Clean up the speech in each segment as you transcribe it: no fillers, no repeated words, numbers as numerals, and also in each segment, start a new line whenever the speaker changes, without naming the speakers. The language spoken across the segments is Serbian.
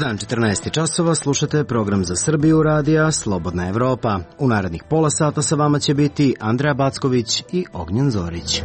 dan, 14 časova, slušate program za Srbiju radija Slobodna Evropa. U narednih pola sata sa vama će biti Andreja Backović i Ognjen Zorić.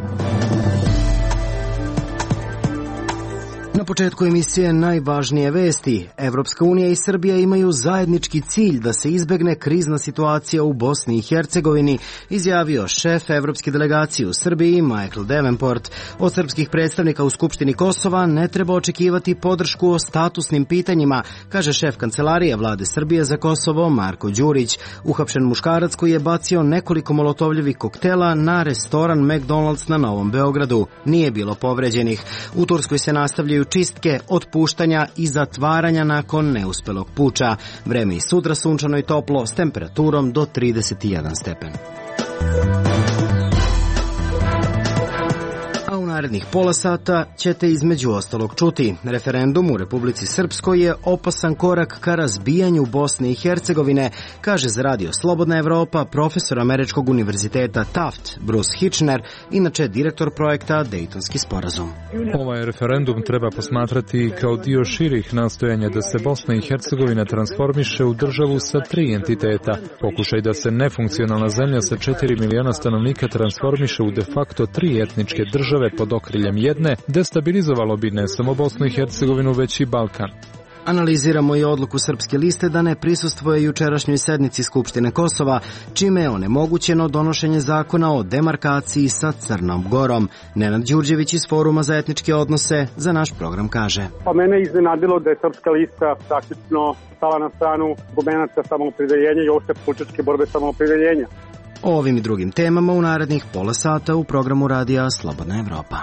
Na početku emisije najvažnije vesti. Evropska unija i Srbija imaju zajednički cilj da se izbegne krizna situacija u Bosni i Hercegovini, izjavio šef evropske delegacije u Srbiji Michael Davenport. Od srpskih predstavnika u Skupštini Kosova ne treba očekivati podršku o statusnim pitanjima, kaže šef kancelarije vlade Srbije za Kosovo Marko Đurić. Uhapšen muškarac koji je bacio nekoliko molotovljevih koktela na restoran McDonald's na Novom Beogradu. Nije bilo povređenih. U Turskoj se nastavljaju čistke, otpuštanja i zatvaranja nakon neuspelog puča. Vreme i sutra sunčano i toplo s temperaturom do 31 stepen. A u narednih pola sata ćete između ostalog čuti. Referendum u Republici Srpskoj je opasan korak ka razbijanju Bosne i Hercegovine, kaže za radio Slobodna Evropa profesor Američkog univerziteta Taft, Bruce Hitchner, inače direktor projekta Dejtonski sporazum.
Ovaj referendum treba posmatrati kao dio širih nastojanja da se Bosna i Hercegovina transformiše u državu sa 3 entiteta. Pokušaj da se nefunkcionalna zemlja sa 4 miliona stanovnika transformiše u de facto 3 etničke države pod okriljem jedne, destabilizovalo bi ne samo Bosnu i Hercegovinu, već i Balkan.
Analiziramo i odluku Srpske liste da ne prisustvuje jučerašnjoj sednici Skupštine Kosova, čime je onemogućeno donošenje zakona o demarkaciji sa Crnom Gorom. Nenad Đurđević iz Foruma za etničke odnose za naš program kaže.
Pa mene iznenadilo da je Srpska lista praktično stala na stranu argumenata samoopredeljenja i uopšte političke borbe samoopredeljenja.
O ovim i drugim temama u narednih pola sata u programu radija Slobodna Evropa.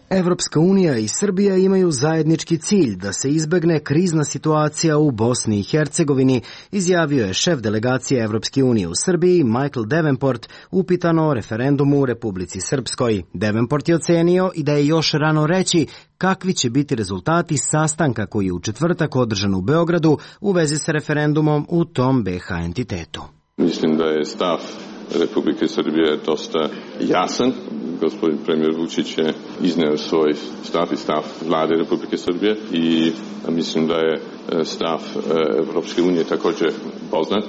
Evropska unija i Srbija imaju zajednički cilj da se izbegne krizna situacija u Bosni i Hercegovini, izjavio je šef delegacije Evropske unije u Srbiji Michael Davenport upitano o referendumu u Republici Srpskoj. Davenport je ocenio i da je još rano reći kakvi će biti rezultati sastanka koji je u četvrtak održan u Beogradu u vezi sa referendumom u tom BiH entitetu.
Mislim da je stav Republike Srbije dosta jasan. Gospodin premijer Vučić je izneo svoj stav i stav vlade Republike Srbije i mislim da je stav Evropske unije također poznat.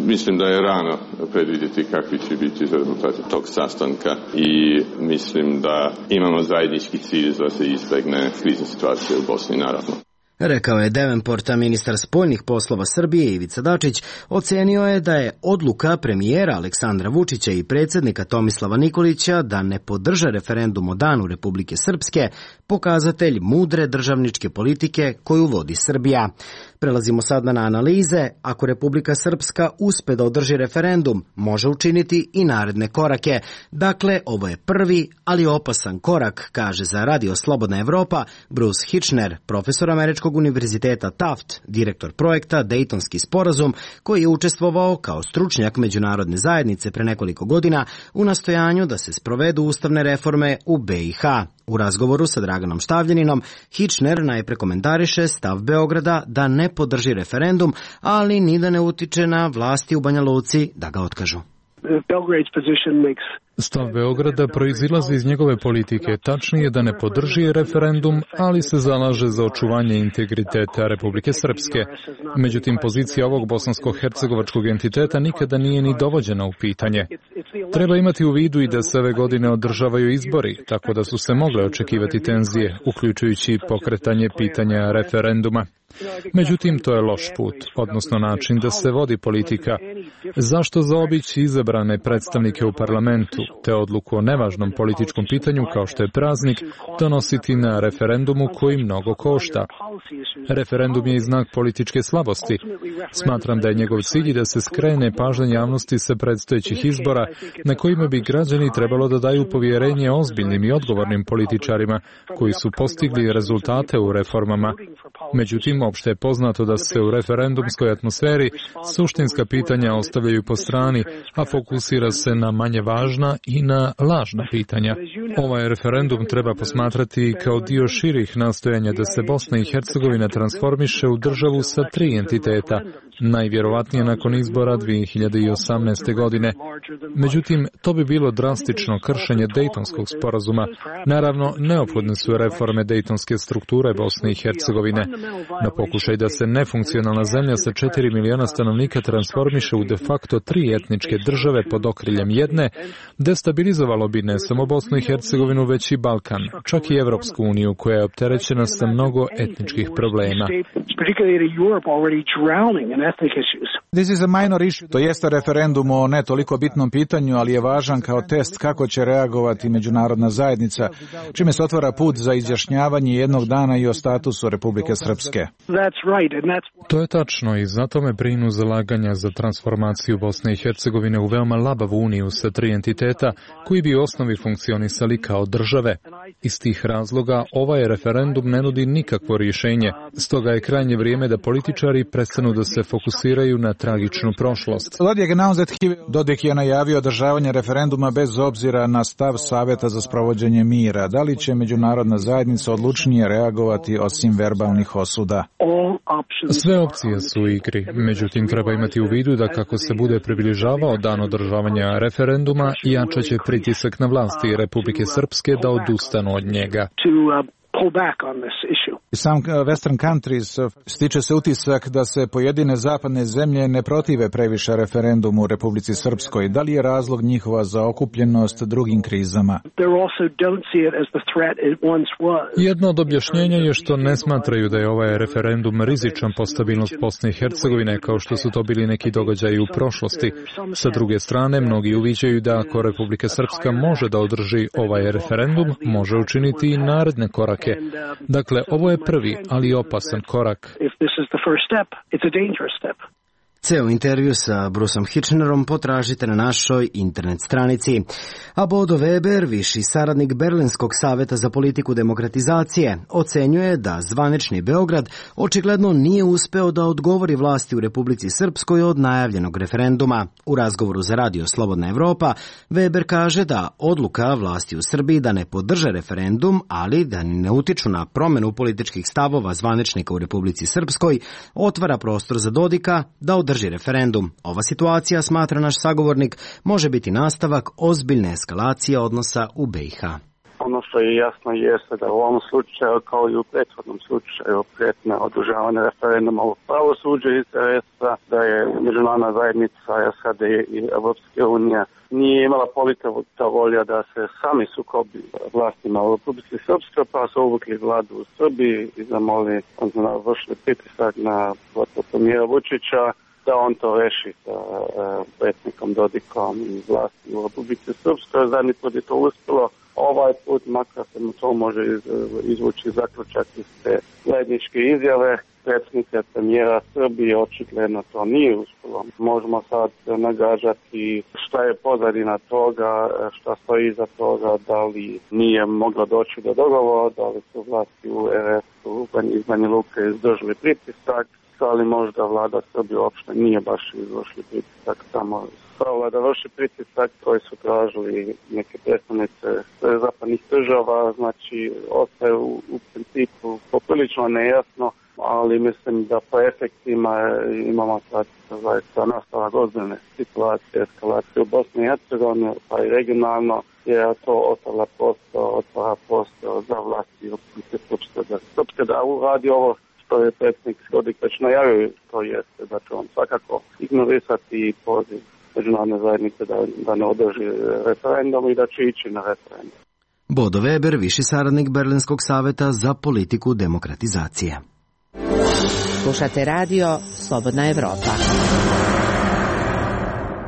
Mislim da je rano predvidjeti kakvi će biti rezultati tog sastanka i mislim da imamo zajednički cilj da se izbegne krizna situacija u Bosni, naravno.
Rekao je Davenport, a ministar spoljnih poslova Srbije Ivica Dačić ocenio je da je odluka premijera Aleksandra Vučića i predsjednika Tomislava Nikolića da ne podrže referendum o danu Republike Srpske pokazatelj mudre državničke politike koju vodi Srbija. Prelazimo sad na analize. Ako Republika Srpska uspe da održi referendum, može učiniti i naredne korake. Dakle, ovo je prvi, ali opasan korak, kaže za radio Slobodna Evropa Bruce Hitchner, profesor Američkog univerziteta Taft, direktor projekta Dejtonski sporazum, koji je učestvovao kao stručnjak međunarodne zajednice pre nekoliko godina u nastojanju da se sprovedu ustavne reforme u BiH. U razgovoru sa Draganom Štavljeninom, Hitchner najpre komentariše stav Beograda da ne podrži referendum, ali ni da ne utiče na vlasti u Banja Luci da ga otkažu.
Stav Beograda proizilazi iz njegove politike, tačnije da ne podrži referendum, ali se zalaže za očuvanje integriteta Republike Srpske. Međutim, pozicija ovog bosansko-hercegovačkog entiteta nikada nije ni dovođena u pitanje. Treba imati u vidu i da se ove godine održavaju izbori, tako da su se mogle očekivati tenzije, uključujući pokretanje pitanja referenduma. Međutim, to je loš put, odnosno način da se vodi politika. Zašto zaobići izabrane predstavnike u parlamentu, te odluku o nevažnom političkom pitanju kao što je praznik, donositi na referendumu koji mnogo košta? Referendum je i znak političke slabosti. Smatram da je njegov cilj da se skrene pažnja javnosti sa predstojećih izbora, na kojima bi građani trebalo da daju povjerenje ozbiljnim i odgovornim političarima koji su postigli rezultate u reformama. Međutim, opšte je poznato da se u referendumskoj atmosferi suštinska pitanja ostavljaju po strani, a fokusira se na manje važna i na lažna pitanja. Ovaj referendum treba posmatrati kao dio širih nastojanja da se Bosna i Hercegovina transformiše u državu sa 3 entiteta. najvjerovatnije nakon izbora 2018. godine. Međutim, to bi bilo drastično kršenje Dejtonskog sporazuma. Naravno, neophodne su reforme dejtonske strukture Bosne i Hercegovine. Na pokušaj da se nefunkcionalna zemlja sa 4 miliona stanovnika transformiše u de facto 3 etničke države pod okriljem jedne, destabilizovalo bi ne samo Bosnu i Hercegovinu, već i Balkan, čak i Evropsku uniju, koja je opterećena sa mnogo etničkih problema.
To jeste referendum o ne toliko bitnom pitanju, ali je važan kao test kako će reagovati međunarodna zajednica, čime se otvara put za izjašnjavanje jednog dana i o statusu Republike Srpske.
To je tačno i zato me brinu zalaganja za transformaciju Bosne i Hercegovine u veoma labavu uniju sa 3 entiteta koji bi u osnovi funkcionisali kao države. Iz tih razloga ovaj referendum ne nudi nikakvo rješenje, stoga je krajnje vrijeme da političari prestanu da se fokusiraju na tragičnu prošlost.
Dodik je najavio održavanje referenduma bez obzira na stav Saveta za sprovođenje mira. Da li će međunarodna zajednica odlučnije reagovati osim verbalnih osuda?
Sve opcije su u igri, međutim treba imati u vidu da kako se bude približavao dan održavanja referenduma, jačat će pritisak na vlasti Republike Srpske da odustanu od njega.
Sam Western Countries stiče se utisak da se pojedine zapadne zemlje ne protive previše referendumu u Republici Srpskoj. Da li je razlog njihova zaokupljenost drugim krizama?
Jedno od objašnjenja je što ne smatraju da je ovaj referendum rizičan po stabilnost Bosne i Hercegovine, kao što su to bili neki događaji u prošlosti. Sa druge strane, mnogi uviđaju da ako Republika Srpska može da održi ovaj referendum, može učiniti i naredne korake. Dakle, ovo je prvi, ali opasan korak.
Ceo intervju sa Bruceom Hitchenerom potražite na našoj internet stranici. A Bodo Weber, viši saradnik Berlinskog saveta za politiku demokratizacije, ocenjuje da zvanični Beograd očigledno nije uspeo da odgovori vlasti u Republici Srpskoj od najavljenog referenduma. U razgovoru za Radio Slobodna Evropa, Weber kaže da odluka vlasti u Srbiji da ne podrže referendum, ali da ne utiču na promjenu političkih stavova zvaničnika u Republici Srpskoj, otvara prostor za Dodika da održi referendum. Ova situacija, smatra naš sagovornik, može biti nastavak ozbiljne eskalacije odnosa u BiH.
Ono što je jasno jeste da u ovom slučaju, kao i u prethodnom slučaju prijetnje održavanja referenduma u pravosuđe interesa, da je međunarodna zajednica SAD i Evropske unije nije imala politika volja da se sami sukobi vlastima u Republici Srpskoj, pa su uvukli vladu u Srbiji i zamoli, vršili pritisak na premijera Vučića da on to reši sa predsjednikom Dodikom i vlasti u Republici Srpskoj. Zadnji put je to uspjelo. Ovaj put, makar se mu to može izvući zaključak iz te zajedničke izjave predsjednika premijera Srbije, očigledno to nije uspjelo. Možemo sad nagađati šta je pozadina toga, šta stoji iza toga, da li nije moglo doći do dogovora, da li su vlasti u RS-u iz Banja Luke izdržali pritisak, ali možda vlada Srbije uopšte nije baš izvršili pritisak, samo stavila da vrši pritisak koji su tražili neke predstavnice zapadnih država, znači ostaje u principu poprilično nejasno, ali mislim da po efektima imamo sad zaista nastavak ozbiljne situacije, eskalacije u Bosni i Hercegovini, pa i regionalno, jer to otvara prostor za vlasti u Srpske da uradi ovo što je predsjednik Dodik već najavio, to jeste da će on svakako ignorisati poziv međunarodne zajednice da ne održi referendum i da će ići na referendum.
Bodo Weber, viši saradnik Berlinskog saveta za politiku demokratizacije.
Slušate radio Slobodna Evropa.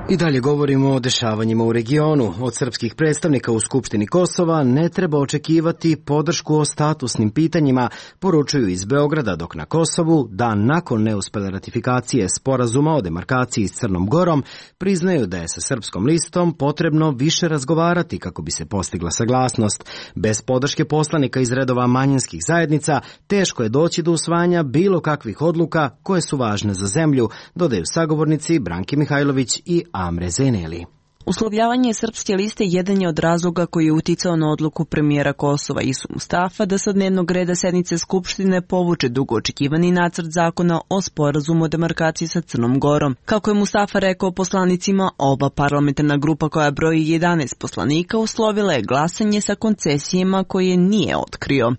I dalje govorimo o dešavanjima u regionu. Od srpskih predstavnika u Skupštini Kosova ne treba očekivati podršku o statusnim pitanjima, poručuju iz Beograda, dok na Kosovu, dan nakon neuspele ratifikacije sporazuma o demarkaciji s Crnom Gorom, priznaju da je sa srpskom listom potrebno više razgovarati kako bi se postigla saglasnost. Bez podrške poslanika iz redova manjinskih zajednica teško je doći do usvajanja bilo kakvih odluka koje su važne za zemlju, dodaju sagovornici Branki Mihajlović i Amre Zeneli.
Uslovljavanje Srpske liste jedan je od razloga koji je uticao na odluku premijera Kosova Isu Mustafa da sa dnevnog reda sednice Skupštine povuče dugo očekivani nacrt zakona o sporazumu o demarkaciji sa Crnom Gorom. Kako je Mustafa rekao poslanicima, oba parlamentarna grupa koja broji 11 poslanika uslovila je glasanje sa koncesijama koje nije otkrio.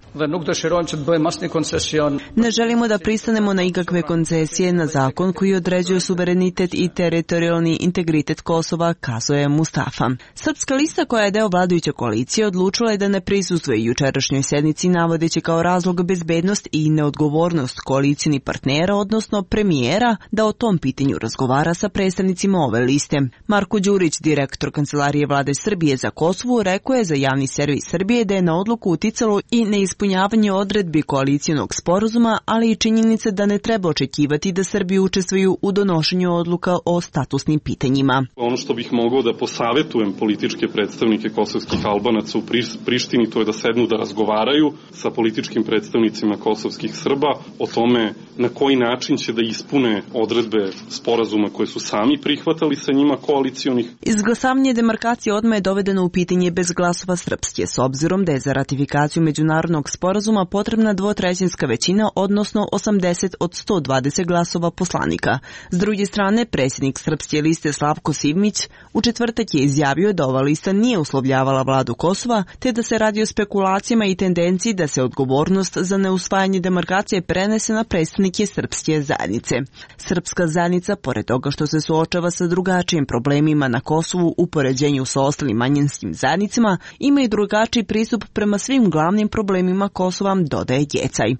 Ne želimo da pristanemo na ikakve koncesije na zakon koji određuje suverenitet i teritorijalni integritet Kosova, kazuje Mustafa. Srpska lista koja je deo vladajuće koalicije odlučila je da ne prisustvuje jučerašnjoj sednici navodeći kao razlog bezbednost i neodgovornost koalicijnih partnera, odnosno premijera, da o tom pitanju razgovara sa predstavnicima ove liste. Marko Đurić, direktor Kancelarije vlade Srbije za Kosovo, rekao je za javni servis Srbije da je na odluku uticalo i neispunjavanje odredbi koalicijonog sporazuma, ali i činjenice da ne treba očekivati da Srbi učestvuju u donošenju odluka o statusnim pitanjima.
Ono što bih mogao da posavetujem političke predstavnike kosovskih Albanaca u Prištini, to je da sednu da razgovaraju sa političkim predstavnicima kosovskih Srba o tome na koji način će da ispune odredbe sporazuma koje su sami prihvatali sa njima koalicijonih.
Izglasavanje demarkacije odmah je dovedeno u pitanje bez glasova Srpske, s obzirom da je za ratifikaciju međunarodnog sporazuma potrebna dvotrećinska većina, odnosno 80 od 120 glasova poslanika. S druge strane, predsjednik Srpske liste Slavko Sivmić u četvrtak je izjavio da ova lista nije uslovljavala vladu Kosova, te da se radi o spekulacijama i tendenciji da se odgovornost za neusvajanje demarkacije prenese na predstavnike srpske zajednice. Srpska zajednica, pored toga što se suočava sa drugačijim problemima na Kosovu u poređenju sa ostalim manjinskim zajednicama, ima i drugačiji pristup prema svim glavnim problemima Kosova, dodaje Gjecaj.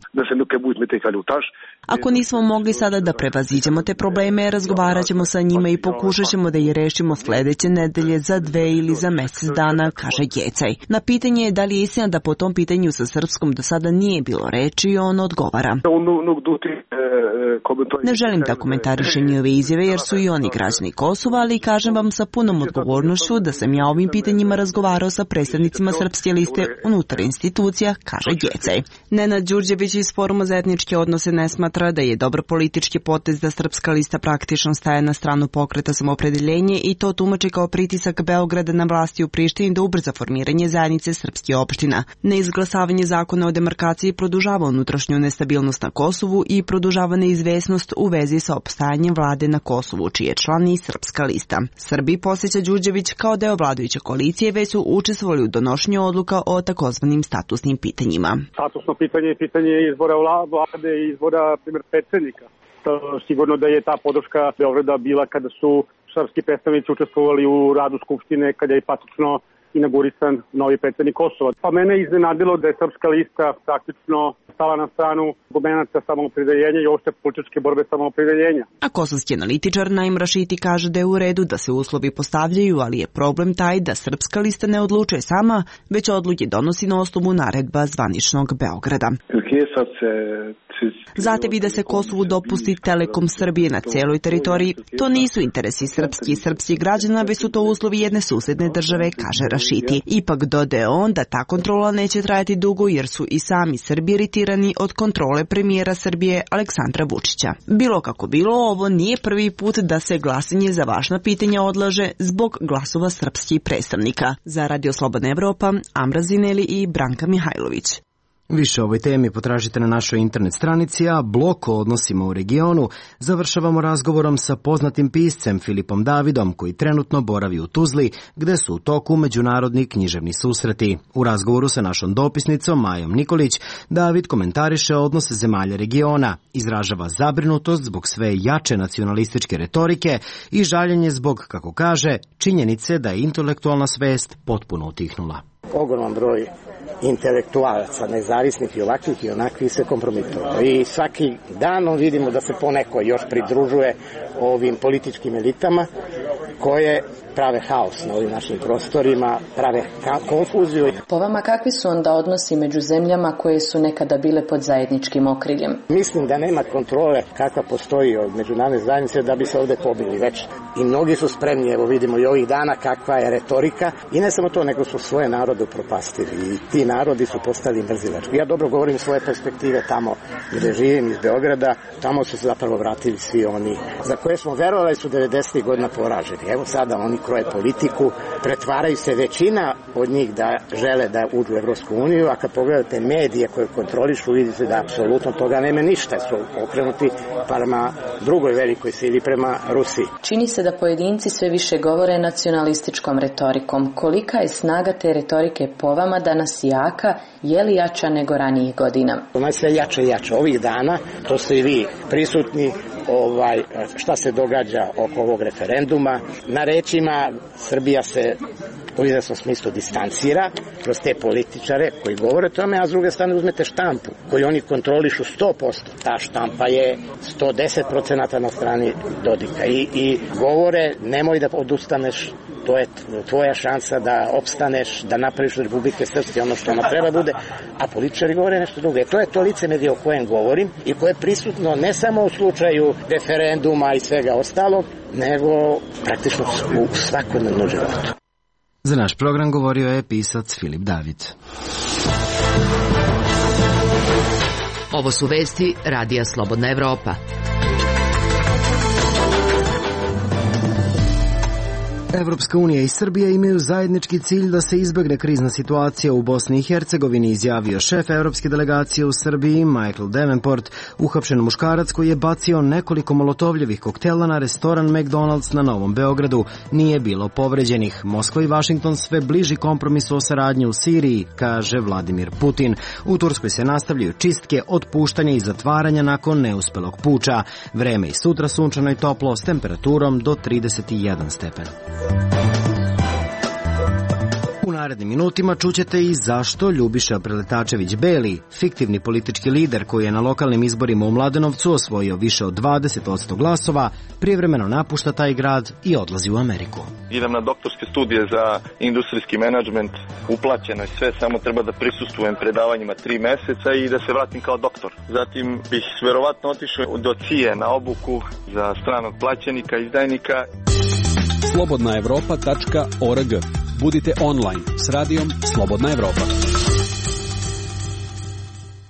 Ako nismo mogli sada da prevaziđemo te probleme, razgovarat ćemo sa njima i pokušat ćemo da ih rešimo sledeće nedelje, za 2 ili za mesec dana, kaže Gjecaj. Na pitanje je da li je istina da po tom pitanju sa Srpskom do sada nije bilo reči, on odgovara. Ne želim da komentarišem njihove izjave jer su i oni građani Kosova, ali kažem vam sa punom odgovornošću da sam ja ovim pitanjima razgovarao sa predstavnicima Srpske liste unutar institucija, kaže Gjecaj. Nenad Đurđević iz Foruma za etničke odnose ne smatra da je dobar politički potez da Srpska lista praktično staje na stranu Pokreta Samoopredeljenje i to tumači kao pritisak Beograda na vlasti u Prištini da ubrza formiranje zajednice srpskih opština. Neizglasavanje zakona o demarkaciji produžava unutrašnju nestabilnost na Kosovu i produžava neizvesnost u vezi sa opstajanjem vlade na Kosovu, čiji je član i Srpska lista. Srbi, posjeća Đurđević, kao deo vladajuće koalicije već su učestvovali u donošenju odluka o takozvanim statusnim pitanjima.
Statusno pitanje je pitanje izbora vlade i izbora, primjer, predsjednika. Sigurno da je ta podrška Beograda bila kada su srpski predstavnici učestvovali u radu Skupštine, kada je praktično inaugurisan novi predsjednik Kosova. Pa mene iznenadilo da je Srpska lista praktično stala na stranu argumenata samoopredeljenja i uopšte političke borbe samoopredeljenja.
A kosovski analitičar Naim Rašiti kaže da je u redu da se uslovi postavljaju, ali je problem taj da Srpska lista ne odlučuje sama, već odluke donosi na osnovu naredba zvaničnog Beograda. Zahtevi da se Kosovu dopusti Telekom Srbije na celoj teritoriji, to nisu interesi srpski i srpskih građana, već su to uslovi jedne susedne države, kaže Rašiti. Ipak dodaje on da ta kontrola neće trajati dugo jer su i sami Srbi iritirani od kontrole premijera Srbije Aleksandra Vučića. Bilo kako bilo, ovo nije prvi put da se glasanje za važna pitanja odlaže zbog glasova srpskih predstavnika. Za Radio Slobodna Evropa, Amra Zineli i Branka Mihajlović.
Više o ovoj temi potražite na našoj internet stranici, a blok o odnosima u regionu završavamo razgovorom sa poznatim piscem Filipom Davidom, koji trenutno boravi u Tuzli, gde su u toku međunarodni književni susreti. U razgovoru sa našom dopisnicom Majom Nikolić, David komentariše odnose zemalja regiona, izražava zabrinutost zbog sve jače nacionalističke retorike i žaljenje zbog, kako kaže, činjenice da je intelektualna svest potpuno utihnula.
Ogroman broj intelektualaca, nezavisnih i ovakvih i onakvih se kompromitovao. I svaki dan vidimo da se poneko još pridružuje ovim političkim elitama koje prave haos na ovim našim prostorima, prave konfuziju.
Po vama kakvi su onda odnosi među zemljama koje su nekada bile pod zajedničkim okriljem?
Mislim da nema kontrole kakva postoji od međunarodne zajednice da bi se ovde pobili već. I mnogi su spremni, evo vidimo i ovih dana kakva je retorika. I ne samo to, nego su svoje narode upropastili. I ti narodi su postali mrzilački. Ja dobro govorim svoje perspektive tamo gde živim iz Beograda. Tamo su se zapravo vratili svi oni za koje smo verovali su 90. godina poraženi. Evo sada oni kroje politiku, pretvaraju se većina od njih da žele da uđu u Evropsku uniju, a kad pogledate medije koje kontrolišu, vidite da apsolutno toga nema ništa, su okrenuti prema drugoj velikoj sili, prema Rusiji.
Čini se da pojedinci sve više govore nacionalističkom retorikom. Kolika je snaga te retorike po vama danas jaka, je li jača nego ranijih godina?
Ona je sve jača i jača. Ovih dana, to ste i vi prisutni, šta se događa oko ovog referenduma. Na rečima Srbija se u izvesnom smislu distancira kroz te političare koji govore o tome, a s druge strane uzmete štampu koju oni kontrolišu 100%. Ta štampa je 110% na strani Dodika i govore nemoj da odustaneš, to je tvoja šansa da opstaneš, da napraviš Republike Srpske ono što ona treba bude, a političari govore nešto drugo. To je to licemerje o kojem govorim i koje je prisutno ne samo u slučaju referenduma i svega ostalog, nego praktično u svakodnevnom životu.
Za naš program govorio je pisac Filip David.
Ovo su vesti Radija Slobodna Evropa.
Evropska unija i Srbija imaju zajednički cilj da se izbegne krizna situacija u Bosni i Hercegovini, izjavio šef evropske delegacije u Srbiji Michael Davenport, uhapšen muškarac koji je bacio nekoliko molotovljevih koktela na restoran McDonald's na Novom Beogradu. Nije bilo povređenih. Moskva i Vašington sve bliži kompromisu o saradnji u Siriji, kaže Vladimir Putin. U Turskoj se nastavljaju čistke, otpuštanja i zatvaranja nakon neuspelog puča. Vreme i sutra sunčano i toplo s temperaturom do 31 stepen. U narednim minutima čućete i zašto Ljubiša Preletačević-Beli, fiktivni politički lider koji je na lokalnim izborima u Mladenovcu osvojio više od 20% glasova, privremeno napušta taj grad i odlazi u Ameriku.
Idem na doktorske studije za industrijski menadžment, uplaćeno je sve, samo treba da prisustvujem predavanjima 3 meseca i da se vratim kao doktor. Zatim bih verovatno otišao do CIA na obuku za stranog plaćenika, izdajnika.
slobodnaevropa.org. Budite online s radijom Slobodna Evropa.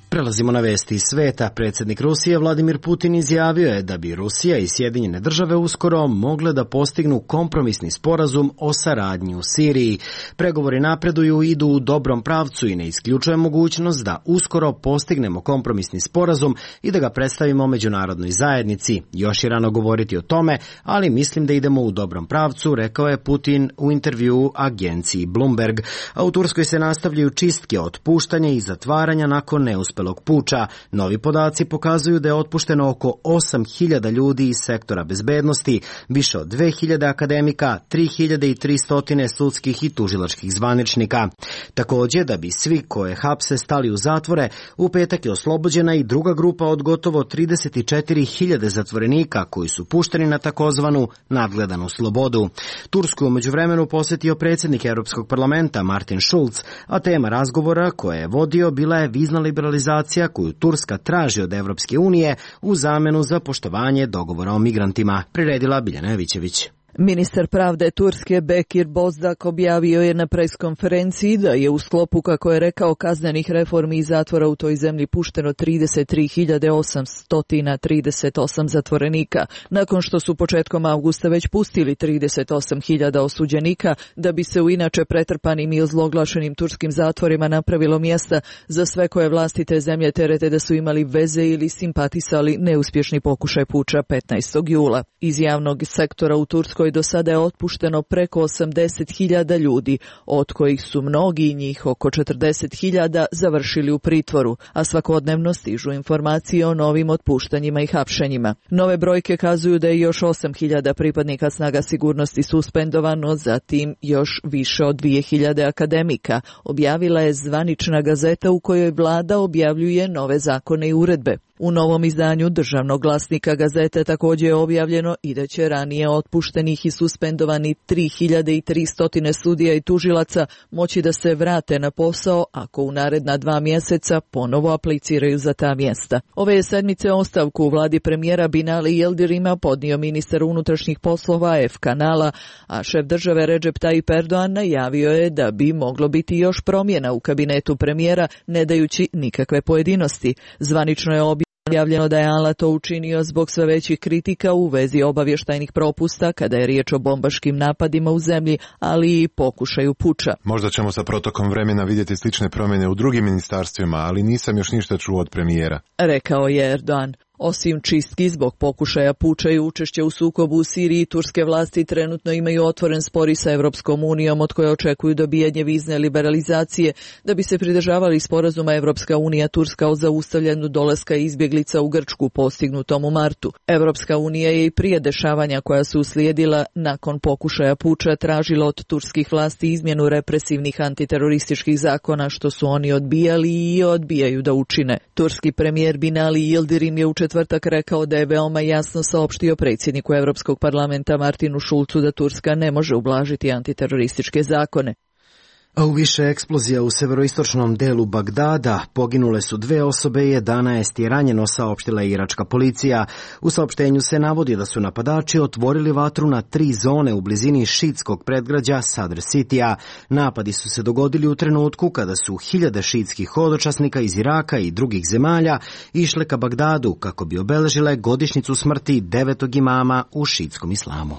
Prelazimo na vesti iz sveta. Predsjednik Rusije Vladimir Putin izjavio je da bi Rusija i Sjedinjene države uskoro mogle da postignu kompromisni sporazum o saradnji u Siriji. Pregovori napreduju i idu u dobrom pravcu i ne isključuje mogućnost da uskoro postignemo kompromisni sporazum i da ga predstavimo međunarodnoj zajednici. Još je rano govoriti o tome, ali mislim da idemo u dobrom pravcu, rekao je Putin u intervjuu agenciji Bloomberg. A u Turskoj se nastavljaju čistke, otpuštanja i zatvaranja nakon neuspelog puča. Novi podaci pokazuju da je otpušteno oko 8.000 ljudi iz sektora bezbednosti, više od 2.000 akademika, 3.300 sudskih i tužilačkih zvaničnika. Također, da bi svi koje hapse stali u zatvore, u petak je oslobođena i druga grupa od gotovo 34.000 zatvorenika koji su pušteni na takozvanu nadgledanu slobodu. Tursku je u međuvremenu posjetio predsjednik Europskog parlamenta Martin Schulz, a tema razgovora koje je vodio bila je vizna liberalizacija koju Turska traži od Evropske unije u zamenu za poštovanje dogovora o migrantima, priredila Biljana Jovićević.
Ministar pravde Turske Bekir Bozdaq objavio je na preskonferenciji da je u sklopu, kako je rekao, kaznenih reformi i zatvora u toj zemlji pušteno 33.838 zatvorenika, nakon što su početkom avgusta već pustili 38.000 osuđenika, da bi se u inače pretrpanim i ozloglašenim turskim zatvorima napravilo mjesta za sve koje vlasti te zemlje terete da su imali veze ili simpatisali neuspješni pokušaj puča 15. jula. Iz javnog sektora u Turskoj do sada je otpušteno preko 80.000 ljudi, od kojih su mnogi njih, oko 40.000, završili u pritvoru, a svakodnevno stižu informacije o novim otpuštanjima i hapšenjima. Nove brojke kazuju da je još 8.000 pripadnika snaga sigurnosti suspendovano, zatim još više od 2.000 akademika, objavila je zvanična gazeta u kojoj vlada objavljuje nove zakone i uredbe. U novom izdanju Državnog glasnika Gazete također je objavljeno i da će ranije otpuštenih i suspendovani 3300 sudija i tužilaca moći da se vrate na posao ako u naredna 2 mjeseca ponovo apliciraju za ta mjesta. Ove je sedmice ostavku u vladi premijera Binali Yildirima podnio ministar unutrašnjih poslova F. Kanala, a šef države Recep Tayyip Erdogan najavio je da bi moglo biti još promjena u kabinetu premijera, ne dajući nikakve pojedinosti. Zvanično je objavljeno da je Ala to učinio zbog sve većih kritika u vezi obavještajnih propusta kada je riječ o bombaškim napadima u zemlji, ali i pokušaju puča.
Možda ćemo sa protokom vremena vidjeti slične promjene u drugim ministarstvima, ali nisam još ništa čuo od premijera,
rekao je Erdogan. Osim čistki zbog pokušaja puča i učešća u sukobu u Siriji, turske vlasti trenutno imaju otvoren spor i sa Evropskom unijom, od koje očekuju dobijanje vizne liberalizacije da bi se pridržavali sporazuma Evropska unija Turska o zaustavljanju dolaska izbjeglica u Grčku postignutom u martu. Evropska unija je i prije dešavanja koja su uslijedila nakon pokušaja puča tražila od turskih vlasti izmjenu represivnih antiterorističkih zakona, što su oni odbijali i odbijaju da učine. Turski premijer Binali Yildirim je u četvrtak rekao da je veoma jasno saopštio predsjedniku Europskog parlamenta Martinu Schulzu da Turska ne može ublažiti antiterorističke zakone.
A u više eksplozija u severoistočnom delu Bagdada poginule su 2 osobe i 11 je ranjeno, saopštila je iračka policija. U saopštenju se navodi da su napadači otvorili vatru na 3 zone u blizini šitskog predgrađa Sadr Citya. Napadi su se dogodili u trenutku kada su hiljade šitskih hodočasnika iz Iraka i drugih zemalja išle ka Bagdadu kako bi obeležile godišnjicu smrti 9. imama u šitskom islamu.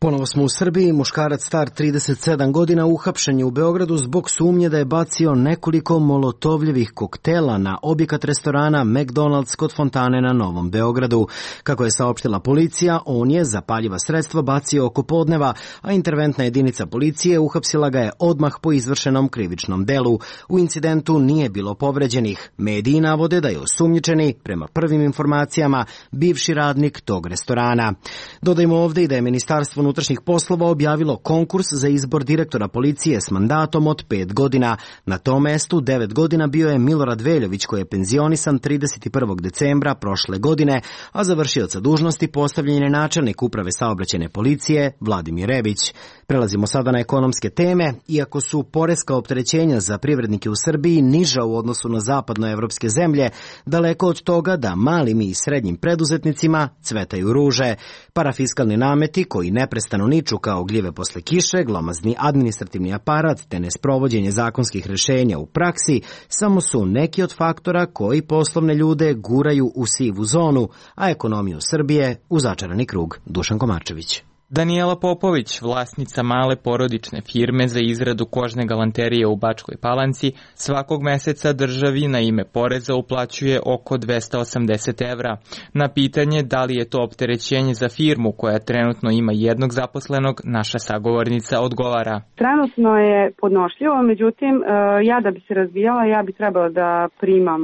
Ponovo smo u Srbiji. Muškarac star 37 godina uhapšen je u Beogradu zbog sumnje da je bacio nekoliko molotovljevih koktela na objekat restorana McDonald's kod fontane na Novom Beogradu. Kako je saopštila policija, on je zapaljiva sredstva bacio oko podneva, a interventna jedinica policije uhapsila ga je odmah po izvršenom krivičnom delu. U incidentu nije bilo povređenih. Mediji navode da je osumnjičeni, prema prvim informacijama, bivši radnik tog restorana. Dodajmo ovdje i da je Ministarstvo unutrašnjih poslova objavilo konkurs za izbor direktora policije s mandatom od 5 godina. Na tom mestu 9 godina bio je Milorad Veljović, koji je penzionisan 31. decembra prošle godine, a za vršioca dužnosti postavljen je načelnik uprave saobraćajne policije Vladimir Rebić. Prelazimo sada na ekonomske teme. Iako su poreska opterećenja za privrednike u Srbiji niža u odnosu na zapadnoevropske zemlje, daleko od toga da malim i srednjim preduzetnicima cvetaju ruže. Parafiskalni nameti koji neprestano niču kao gljive posle kiše, glomazni administrativni aparat te nesprovođenje zakonskih rješenja u praksi samo su neki od faktora koji poslovne ljude guraju u sivu zonu, a ekonomiju Srbije u začarani krug. Dušan Komarčević.
Danijela Popović, vlasnica male porodične firme za izradu kožne galanterije u Bačkoj Palanci, svakog meseca državi na ime poreza uplaćuje oko 280 evra. Na pitanje da li je to opterećenje za firmu koja trenutno ima jednog zaposlenog, naša sagovornica odgovara.
Trenutno je podnošljivo, međutim ja da bi se razvijala, ja bi trebala da primam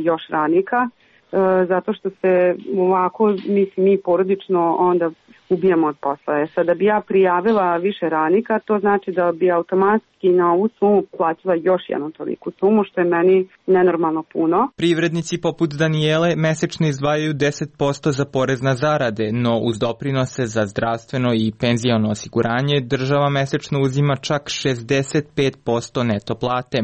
još radnika, zato što se ovako, mislim, mi porodično onda ubijamo od posla. Sada bi ja prijavila više radnika, to znači da bi automatski na ovu sumu plaćala još jednu toliku sumu, što je meni nenormalno puno.
Privrednici poput Danijele mesečno izdvajaju 10% za porez na zarade, no uz doprinose za zdravstveno i penziono osiguranje država mesečno uzima čak 65% neto plate.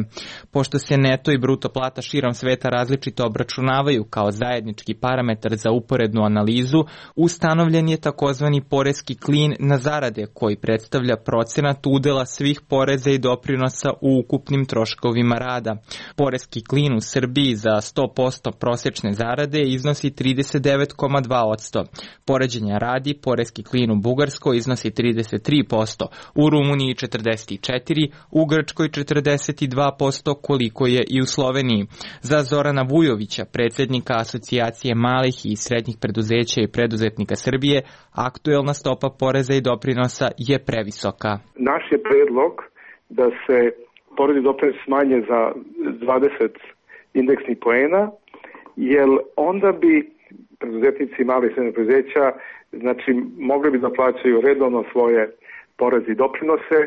Pošto se neto i bruto plata širom sveta različito obračunavaju kao zajednički parametar za uporednu analizu, ustanovljen je takozvani poreski klin na zarade koji predstavlja procenat udela svih poreza i doprinosa u ukupnim troškovima rada. Poreski klin u Srbiji za 100% prosječne zarade iznosi 39,2%. Poređenja radi, poreski klin u Bugarskoj iznosi 33%, u Rumuniji 44%, u Grčkoj 42%, koliko je i u Sloveniji. Za Zorana Vujovića, predsjednika Asocijacije malih i srednjih preduzeća i preduzetnika Srbije, aktuelna stopa poreza i doprinosa je previsoka.
Naš je predlog da se porez i doprinos smanje za 20 indeksnih poena, jer onda bi preduzetnici malih i srednjih preduzeća mogli bi da plaćaju redovno svoje poreze i doprinose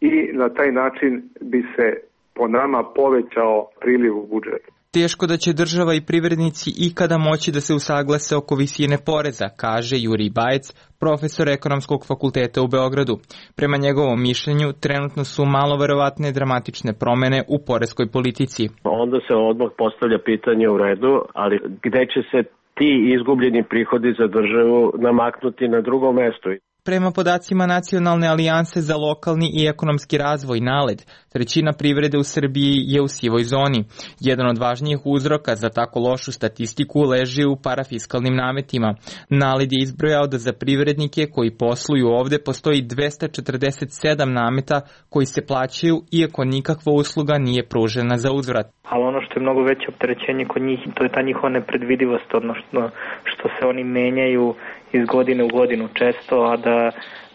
i na taj način bi se po nama povećao priliv u budžet.
Teško da će država i privrednici ikada moći da se usaglase oko visine poreza, kaže Jurij Bajec, profesor Ekonomskog fakulteta u Beogradu. Prema njegovom mišljenju, trenutno su malo verovatne dramatične promene u poreskoj politici.
Onda se odmah postavlja pitanje u redu, ali gde će se ti izgubljeni prihodi za državu namaknuti na drugo mesto?
Prema podacima Nacionalne alijanse za lokalni i ekonomski razvoj NALED, trećina privrede u Srbiji je u sivoj zoni. Jedan od važnijih uzroka za tako lošu statistiku leži u parafiskalnim nametima. NALED je izbrojao da za privrednike koji posluju ovde postoji 247 nameta koji se plaćaju iako nikakva usluga nije pružena za uzvrat.
Ali ono što je mnogo veće opterećenje kod njih, to je ta njihova nepredvidivost, odnosno što se oni menjaju iz godine u godinu često, a da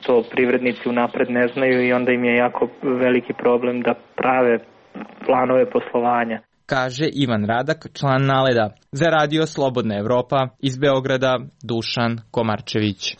to privrednici unapred ne znaju i onda im je jako veliki problem da prave planove poslovanja.
Kaže Ivan Radak, član NALED-a. Za radio Slobodna Evropa, iz Beograda, Dušan Komarčević.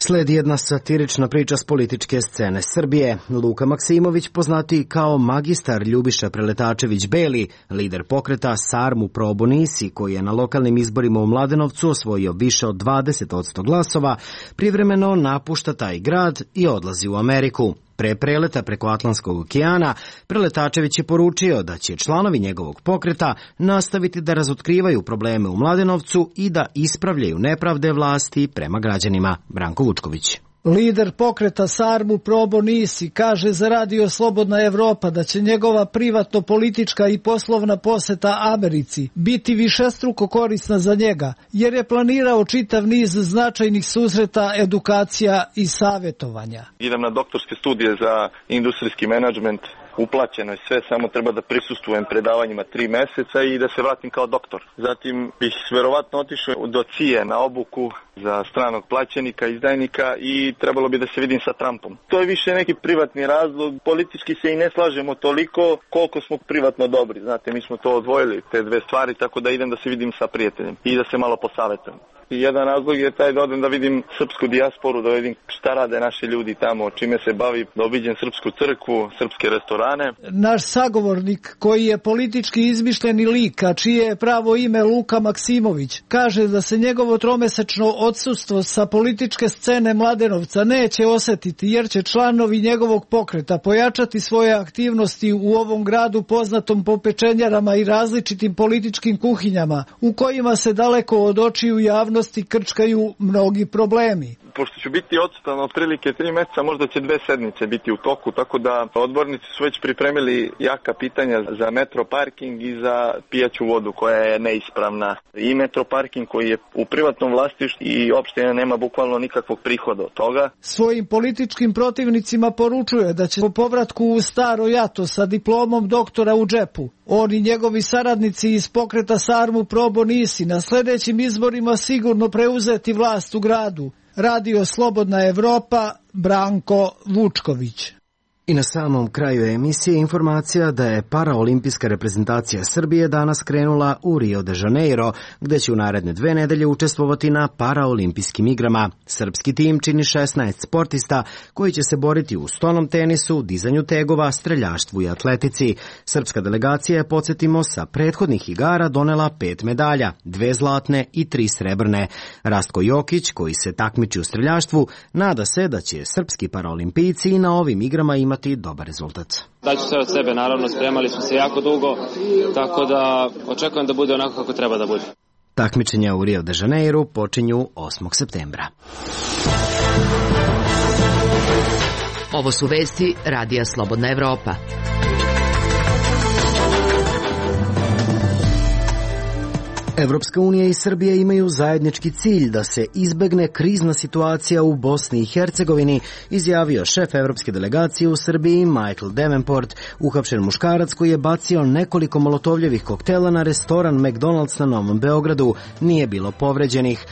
Sledi jedna satirična priča s političke scene Srbije. Luka Maksimović, poznati kao magistar Ljubiša Preletačević-Beli, lider pokreta Sarmu Probo Nisi, koji je na lokalnim izborima u Mladenovcu osvojio više od 20% glasova, privremeno napušta taj grad i odlazi u Ameriku. Pre preleta preko Atlantskog okeana, Preletačević je poručio da će članovi njegovog pokreta nastaviti da razotkrivaju probleme u Mladenovcu i da ispravljaju nepravde vlasti prema građanima. Branko Vučković.
Lider pokreta Sarmu Probo Nisi kaže za radio Slobodna Evropa da će njegova privatno-politička i poslovna poseta Americi biti višestruko korisna za njega, jer je planirao čitav niz značajnih susreta, edukacija i savjetovanja.
Idem na doktorske studije za industrijski menadžment, uplaćeno je sve, samo treba da prisustvujem predavanjima 3 meseca i da se vratim kao doktor. Zatim bih verovatno otišao do CIA na obuku za stranog plaćenika, izdajnika i trebalo bi da se vidim sa Trumpom. To je više neki privatni razlog, politički se i ne slažemo toliko koliko smo privatno dobri. Znate, mi smo to odvojili, te dve stvari, tako da idem da se vidim sa prijateljem i da se malo posavetujem. I jedan razlog je taj da odem da vidim srpsku dijasporu, da vidim šta rade naši ljudi tamo, čime se bavi, da obiđem srpsku crkvu, srpske restorane.
Naš sagovornik, koji je politički izmišljeni lik, a čije je pravo ime Luka Maksimović, kaže da se njegovo tromesečno odsustvo sa političke scene Mladenovca neće osetiti, jer će članovi njegovog pokreta pojačati svoje aktivnosti u ovom gradu poznatom po pečenjarama i različitim političkim kuhinjama, u kojima se daleko od očiju javnosti krčkaju mnogi problemi.
Pošto ću biti odsutan otprilike 3 meseca, možda će 2 sedmice biti u toku, tako da odbornici su već pripremili jaka pitanja za metro parking i za pijaću vodu koja je neispravna. I metro parking koji je u privatnom vlasništvu i opština nema bukvalno nikakvog prihoda od toga.
Svojim političkim protivnicima poručuje da će po povratku u staro jato sa diplomom doktora u džepu, on i njegovi saradnici iz pokreta Sarmu Probo Nisi na sljedećim izborima sigurno preuzeti vlast u gradu. Radio Slobodna Evropa, Branko Vučković.
I na samom kraju emisije informacija da je paraolimpijska reprezentacija Srbije danas krenula u Rio de Janeiro, gde će u naredne 2 nedelje učestvovati na paraolimpijskim igrama. Srpski tim čini 16 sportista koji će se boriti u stonom tenisu, dizanju tegova, streljaštvu i atletici. Srpska delegacija je, podsjetimo, sa prethodnih igara donela 5 medalja, 2 zlatne i 3 srebrne. Rastko Jokić, koji se takmiči u streljaštvu, nada se da će srpski paraolimpijci i na ovim igrama imati dobar rezultat.
Daću sve od sebe, naravno, spremali smo se jako dugo, tako da očekujem da bude onako kako treba da bude.
Takmičenja u Rio de Janeiro počinju 8. septembra.
Ovo su vesti Radija Slobodna Evropa.
Evropska unija i Srbija imaju zajednički cilj da se izbegne krizna situacija u Bosni i Hercegovini, izjavio šef evropske delegacije u Srbiji Michael Davenport, uhapšen muškarac koji je bacio nekoliko molotovljevih koktela na restoran McDonald's na Novom Beogradu. Nije bilo povređenih.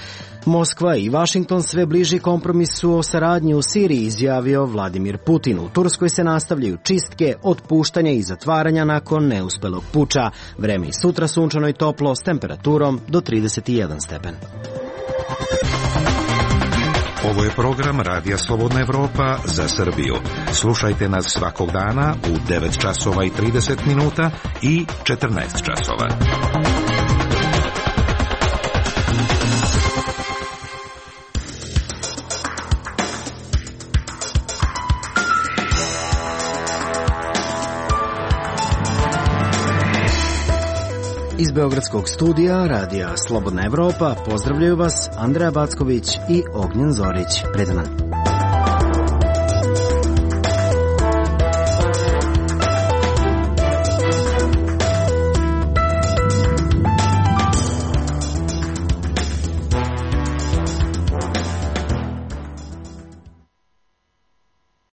Moskva i Vašington sve bliži kompromisu o saradnji u Siriji, izjavio Vladimir Putin. U Turskoj se nastavljaju čistke, otpuštanja i zatvaranja nakon neuspelog puča. Vreme i sutra sunčano i toplo s temperaturom do 31 stepen.
Ovo je program Radija Slobodna Evropa za Srbiju. Slušajte nas svakog dana u 9 časova i 30 minuta i 14 časova.
Iz Beogradskog studija Radija Slobodna Evropa pozdravljaju vas Andreja Backović i Ognjen Zorić. Predan.